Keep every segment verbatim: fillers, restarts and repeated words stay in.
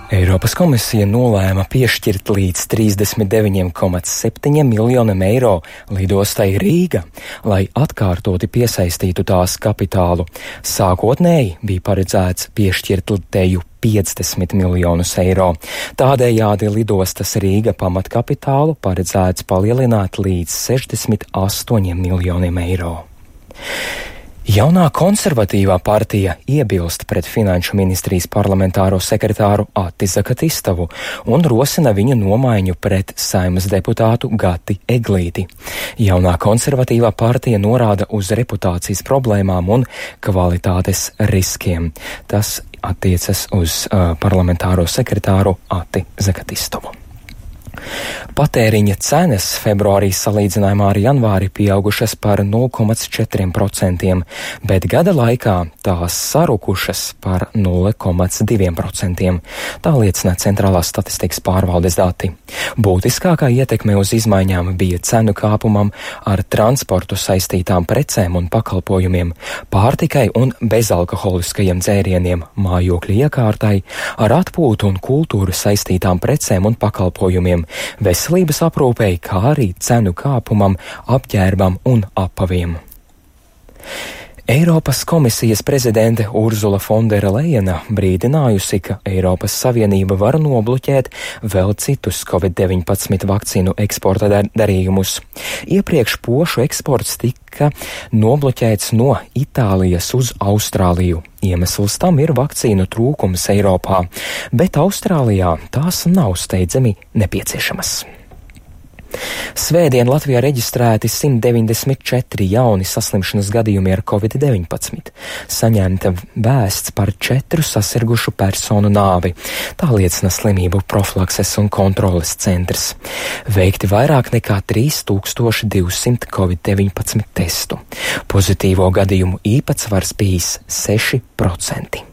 Eiropas komisija nolēma piešķirt līdz trīsdesmit deviņi komats septiņi miljoniem eiro lidostai Rīga, lai atkārtoti piesaistītu tās kapitālu. Sākotnēji bija paredzēts piešķirt teju piecdesmit miljonus eiro. Tādējādi lidostas Rīga pamatkapitālu paredzēts palielināt līdz sešdesmit astoņiem miljoniem eiro. Jaunā konservatīvā partija iebilst pret Finanšu ministrijas parlamentāro sekretāru Ati Zakatistavu un rosina viņu nomaiņu pret Saeimas deputātu Gati Eglīti. Jaunā konservatīvā partija norāda uz reputācijas problēmām un kvalitātes riskiem. Tas attiecas uz uh, parlamentāro sekretāru Ati Zakatistavu. Patēriņa cenas februārī salīdzinājumā ar janvāri pieaugušas par nulle komats četri procenti, bet gada laikā tās sarukušas par nulle komats divi procenti. Tā liecina Centrālās statistikas pārvaldes dati. Būtiskākā ietekme uz izmaiņām bija cenu kāpumam ar transportu saistītām precēm un pakalpojumiem, pārtikai un bezalkoholiskajiem dzērieniem, mājokļu iekārtai, ar atpūtu un kultūru saistītām precēm un pakalpojumiem, veselības aprūpei, kā arī cenu kāpumam, apģērbam un apaviem. Eiropas komisijas prezidente Urzula Fondera Lejena brīdinājusi, ka Eiropas Savienība var nobloķēt vēl citus covid deviņpadsmit vakcīnu eksporta dar- darījumus. Iepriekš pošu eksports tika nobloķēts no Itālijas uz Austrāliju. Iemesls tam ir vakcīnu trūkums Eiropā, bet Austrālijā tās nav steidzami nepieciešamas. Svētdien Latvijā reģistrēti simt deviņdesmit četri jauni saslimšanas gadījumi ar covid deviņpadsmit. Saņemta vēsts par četru sasirgušu personu nāvi. Tā liecina Slimību profilakses un kontroles centrs. Veikti vairāk nekā trīs tūkstoši divsimt covid deviņpadsmit testu. Pozitīvo gadījumu īpatsvars bijis seši procenti.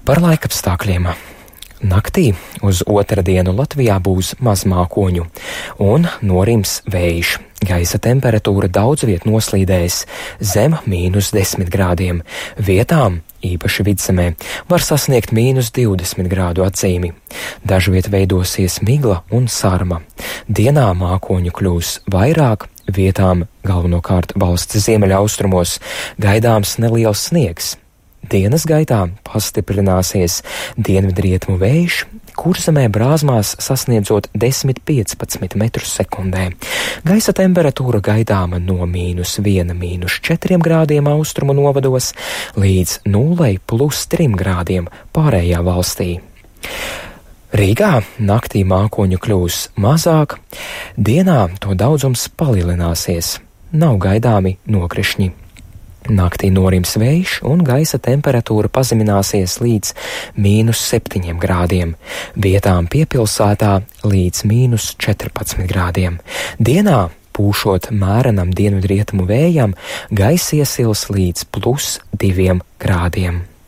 Par laikapstākļiem. Naktī uz otrdienu Latvijā būs maz mākoņu un norims vējš. Gaisa temperatūra daudz viet noslīdēs zem mīnus desmit grādiem. Vietām, īpaši vidzemē, var sasniegt mīnus divdesmit grādu atzīmi. Dažviet veidosies migla un sarma. Dienā mākoņu kļūs vairāk, vietām galvenokārt valsts ziemeļaustrumos gaidāms neliels sniegs. Dienas gaitā pastiprināsies dienvidrietumu vējš, Kurzemē brāzmās sasniedzot desmit līdz piecpadsmit metrus sekundē. Gaisa temperatūra gaidāma no mīnus viena mīnus četriem grādiem austrumu novados līdz nulei plus trim grādiem pārējā valstī. Rīgā naktī mākoņu kļūs mazāk, dienā to daudzums palielināsies, nav gaidāmi nokrišņi. Naktī norims vējš un gaisa temperatūra pazemināsies līdz mīnus septiņiem grādiem, vietām piepilsētā līdz mīnus četrpadsmit grādiem. Dienā, pūšot mērenam dienvidrietumu vējam, gaisa iesils līdz plus diviem grādiem.